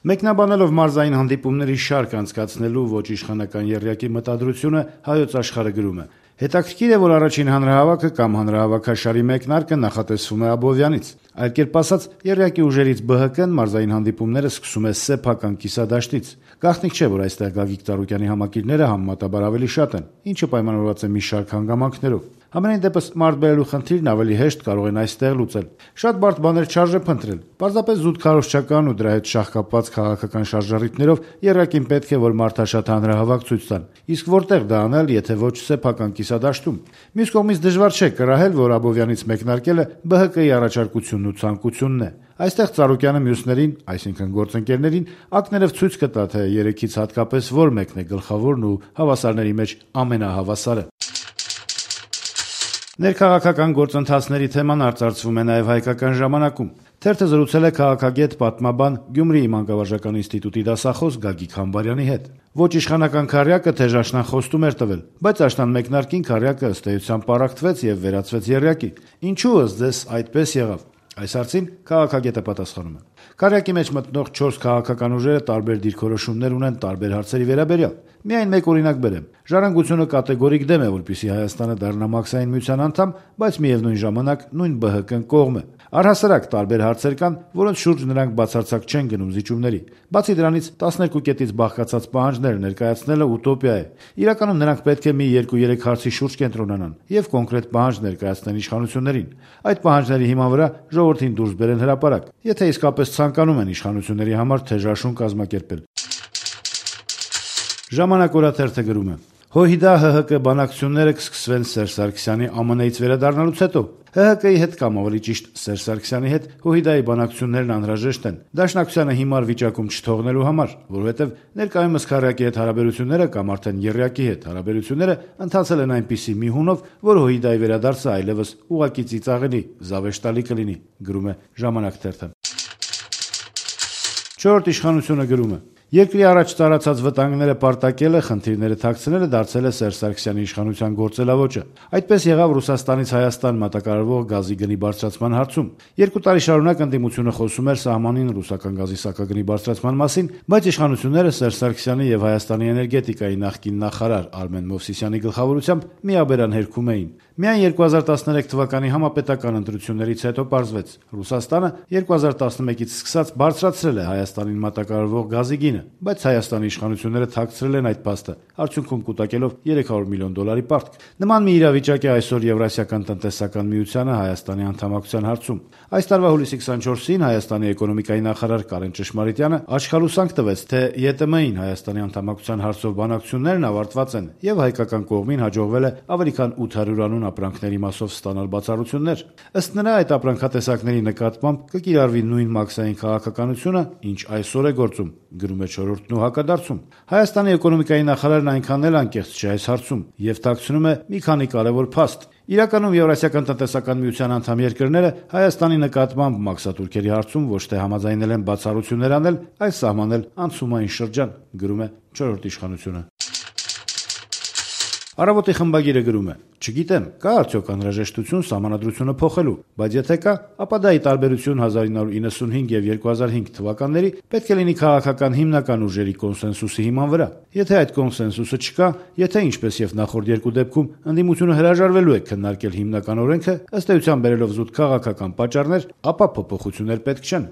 Մեկնաբանելով մարզային հանդիպումների շարք անցկացնելու ոչ իշխանական եռյակի մտադրությունը, Հայոց Աշխարհը գրում է. «Հետաքրքիր է, որ առաջին հանրահավաքը կամ հանրահավաքաշարի մեկնարկը նախատեսվում է Աբովյանից։ Այլ կերպ ասած, եռյակի ուժերից ԲՀԿ-ն մարզային հանդիպումները սկսում է սեփական կիսադաշտից։ Գաղտնիք չէ, որ այստեղ Գագիկ Ծառուկյանի համակիրները համեմատաբար ավելի շատ են, ինչը պայմանավորված է մի շարք հանգամանքներով։ Համենայն դեպս մարդ բերելու խնդիրն ավելի հեշտ կարող են այստեղ լուծել։ Շատ բարդ բաներ չարժե փնտրել։ Պարզապես զուտ քարոզչական ու դրա հետ շաղկապված քաղաքական շարժառիթներով եռյակին պետք է, որ մարդաշատ հանրահավաք ցույց տան։ Իսկ որտեղ դա անել, եթե ոչ սեփական կիսադաշտում։ Մյուս կողմից դժվար չէ կռահել, որ Աբովյանից մեկնարկելը ԲՀԿ-ի առաջարկությունն ու ցանկությունն է։ Այստեղ Ծառուկյանը մյուսներին, այսինքն գործընկերներին, ակներով ցույց կտա, թե երեքից հատկապես որ մեկն է գլխավորն ու հավասարների մեջ ամենահավասարը։ Ներքաղաքական գործընթացների թեման արծարծվում է նաև Հայկական ժամանակում։ Թերթը զրուցել է քաղաքագետ, պատմաբան, Գյումրիի մանկավարժական ինստիտուտի դասախոս Գագիկ Համբարյանի հետ։ Ոչ իշխանական քառյակը թեժ աշնան խոստում էր տվել, բայց աշնան մեկնարկին քառյակը ըստ էության պառակտվեց եւ վերածվեց եռյակի։ Ինչու ըստ ձեզ այդպես եղավ։ Այս հարցին քաղաքագետը պատասխանում է. Քառյակի մեջ մտնող 4 քաղաքական ուժերը տարբեր դիրքորոշումներ ունեն տարբեր հարցերի վերաբերյալ։ Միայն մեկ օրինակ բերեմ. Ժառանգությունը կատեգորիկ դեմ է, որպեսզի Հայաստանը դառնա Մաքսային միության անդամ, բայց միևնույն ժամանակ նույն ԲՀԿ-ն կողմ է։ Առհասարակ տարբեր հարցեր կան, որոնց շուրջ նրանք բացարձակ չեն գնում զիջումների։ Բացի դրանից 12 կետից բաղկացած պահանջներ ներկայացնելը ուտոպիա է։ Իրականում նրանք պետք է մի 2-3 հարցի շուրջ կենտրոնանան եւ կոնկրետ պահանջ ներկայացնեն իշխանություններին։ Այդ պահանջների հիման վրա ժողովրդին դուրս բերեն հրապարակ, եթե իսկապես ցանկանում են իշխանությունների համար թեժաշուն կազմակերպել։ Ժամանակ օրաթերթը գրում է. ՀՅԴ-ՀՀԿ բանակցությունները կսկսվեն Սերժ Սարգսյանի ԱՄՆ-ից վերադառնալուց հետո։ ՀՀԿ-ի հետ կամ ավելի ճիշտ Սերժ Սարգսյանի հետ ՀՅԴ-ի բանակցություններն անհրաժեշտ են Դաշնակցությանը հիմար վիճակում չթողնելու համար, որովհետև ներկայումս քառյակի հետ հարաբերությունները կամ արդեն եռյակի հետ հարաբերությունները ընթացել են այնպիսի մի հունով, որ ՀՅԴ-ի վերադարձը այլևս ուղղակի ծիծաղելի, զավեշտալի կլինի, գրում է Ժամանակ թերթը։ Չորրորդ իշխանությունը գրում է. Երկրի առաջ տարածած վտանգները պարտակելը, խնդիրները թաքցնելը դարձել է Սերժ Սարգսյանի իշխանության գործելավոճը։ Այդպես եղավ Ռուսաստանից Հայաստան մատակարարվող գազի գնի բարձրացման հարցում։ 2 տարի շարունակ ընդդիմությունը խոսում էր սահմանին ռուսական գազի սակագնի բարձրացման մասին, բայց իշխանությունները Սերժ Սարգսյանի եւ Հայաստանի էներգետիկայի նախկին նախարար Արմեն Մովսիսյանի գլխավորությամբ միաբերան հերքում էին։ Միայն 2013 թվականի համապետական ընտրություններից հետո պարզվեց. Ռուսաստանը 2011-ից սկսած բարձրացրել է Հայաստանին մատակարարվող գազի գինը, բայց Հայաստանի իշխանությունները թաքցրել են այդ փաստը, արդյունքում կուտակելով $300 միլիոն պարտք։ Նման մի իրավիճակ է այսօր Եվրասիական տնտեսական միությանը Հայաստանի անդամակցության հարցում։ Այս տարվա հուլիսի 24-ին Հայաստանի էկոնոմիկայի նախարար Կարեն Ճշմարիտյանը աչքալուսանք տվեց, թե ԵՏՄ-ին Հայաստանի անդամակցության հարցով բանակցություններն ավարտված են եւ հայկական կողմին հաջողվել է ավելի քան 800 անուն ապրանքների մասով ստանալ բացառություններ։ Ըստ նրա, այդ ապրանքատեսակների նկատմամբ կկիրառվի նույն մաքսային քաղաքականությունը, ինչ այսօր է գործում, գրում է Չորրորդն ու հակադարձում։ Հայաստանի էկոնոմիկայի նախարարն այնքան էլ անկեղծ չէ այս հարցում եւ թաքցնում է մի քանի կարեւոր փաստ։ Իրականում Եվրասիական տնտեսական միության անդամ երկրները Հայաստանի նկատմամբ մաքսատուրքերի հարցում ոչ թե համաձայնել են բացառություններ անել, այլ սահմանել անցումային շրջան, գրում է Չորրորդ իշխանությունը։ Առավոտի խմբագիրը գրում է. Չգիտեմ, կա արդյոք անհրաժեշտություն սահմանադրությունը փոխելու, բայց եթե կա, ապա դա ի տարբերություն 1995 եւ 2005 թվականների պետք է լինի քաղաքական հիմնական ուժերի կոնսենսուսի հիման վրա։ Եթե այդ կոնսենսուսը չկա, եթե ինչպես եւ նախորդ երկու դեպքում ընդդիմությունը հրաժարվելու է քննարկել հիմնական օրենքը, ըստ էության բերելով զուտ քաղաքական պատճառներ, ապա փոփոխություններ պետք չեն։